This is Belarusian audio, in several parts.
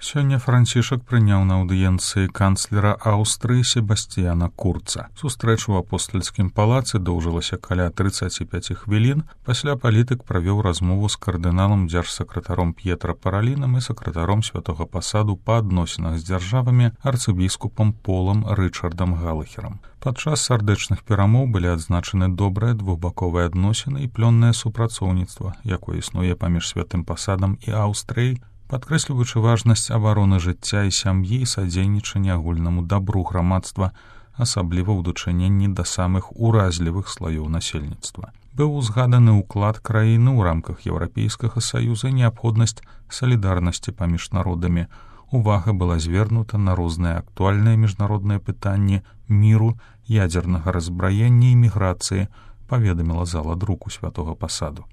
Сёння Францішак прыняў на аўдыенцыі канцлера Аўстрыі Себасціяна Курца. Сустрэча ў апостальскім палацы доўжылася каля 35 хвілін. Пасля палітык правёў размову з кардыналам дзяржсакратаром П'етра Паралінам і сакратаром святога пасаду па адносінах з дзяржавамі арцыбіскупам Полам Рычардам Галахерам. Падчас сардэчных перамоў былі адзначаны добрыя двухбаковыя адносіны і плённае супрацоўніцтва, якое існуе паміж святым пасадам і Аўстрыяй, падкрэсліваючы важнасць абароны жыцця і сям'і і садзейнічання агульнаму дабру грамадства, асабліва ў дачыненні да самых уразлівых слаёў насельніцтва. Быў узгаданы ўклад краіны ў рамках Еўрапейскага саюза і неабходнасць салідарнасці паміж народамі. Увага была звернута на розныя актуальныя міжнародныя пытанні міру, ядзернага раззбраення і міграцыі, паведаміла зала друку святога пасаду.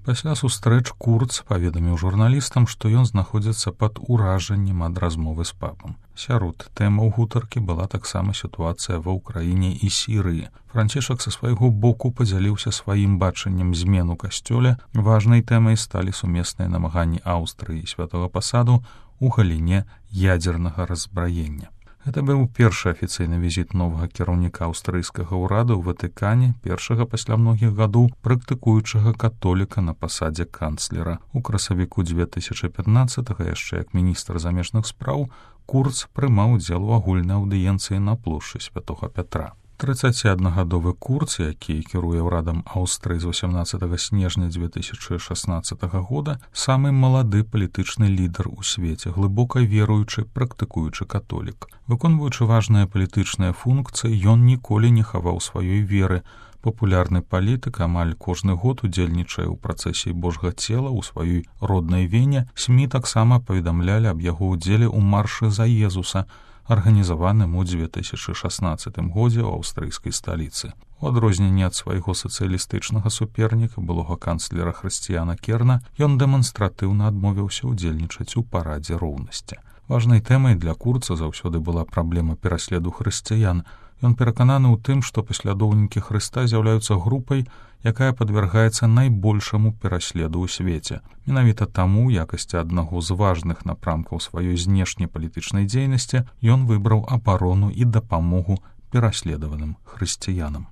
Пасля сустрэч Курц паведаміў журналістам, што ён знаходзіцца пад уражаннем ад размовы з папам. Сярод тэмаў гутаркі была таксама сітуацыя ва ўкраіне і Сірыі. Францішак са свайго боку падзяліўся сваім бачаннем змен у касцёле. Важнай тэмай сталі сумесныя намаганні Аўстрыі і святога пасаду ў галіне ядзернага раззбраення. Гэта быў першы афіцыйны візіт новага кіраўніка аўстрыйскага ўрада ў Ватыкане, першага пасля многіх гадоў практыкуючага католіка на пасадзе канцлера. У красавіку 2015-го, яшчэ як міністр замежных спраў, Курц прымаў удзел у агульнай аўдыенцыі на плошчы святога Пятра. 31-гадовы Курц, які кіруе ўрадам Аўстрыі з 18 снежня 2016 года, самы малады палітычны лідар у свеце, глыбока веруючы, практыкуючы католік. Выконваючы важныя палітычныя функцыі, ён ніколі не хаваў сваёй веры. Папулярны палітык амаль кожны год удзельнічае ў працэсіі Божга цела ў сваёй роднай Вене. СМІ таксама паведамлялі аб яго ўдзеле ў маршы за Езуса, арганізаваным у 2016 годзе ў аўстрыйскай сталіцы. У адрозненні ад свайго сацыялістычнага суперніка, былога канцлера Хрысціяна Керна, ён дэманстратыўна адмовіўся ўдзельнічаць у парадзе роўнасці. Важнай тэмай для Курца заўсёды была праблема пераследу хрысціян. Ён перакананы ў тым, што паслядоўнікі Хрыста з'яўляюцца групай, якая падвяргаецца найбольшаму пераследу ў свеце. Менавіта таму, у якасці аднаго з важных напрамкаў сваёй знешняй палітычнай дзейнасці, ён выбраў абарону і дапамогу пераследаваным хрысціянам.